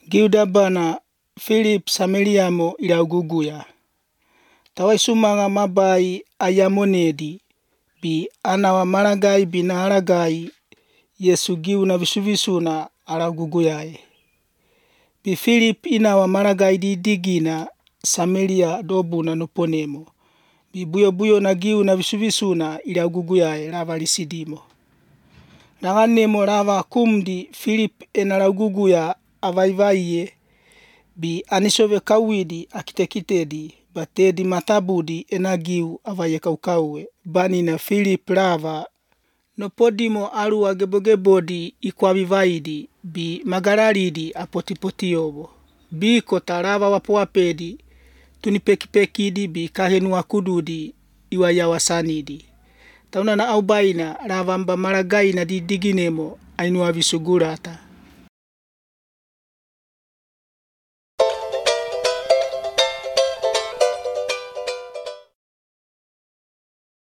Giudabana Philip Sameliamo ilauguguya. Tawaisumanga mabai ayamonedi. Bi anawa maragai binaragai Yesu giu na visuvisuna alauguguyae. Bi Philip inawa maragai di digina Samaria dobuna noponemo. Bi buyo na giu na visuvisuna ilauguguyae lava lisidimo. Nanganemo lava kumdi Philip enalauguguya avaivaiye. Bi anisove kawidi akitekitedi batedi matabudi enagiu avaye kaukauwe. Bani na Philip lava nopodimo alu agebodi ikwavivaidi bi magararidi apotipotiobo. Bi kota lava wapuapedi tunipekipekidi bi kahenu akududi iwayawasanidi. Tauna na aubaina lava mba maragai na didiginemo ainua visugurata.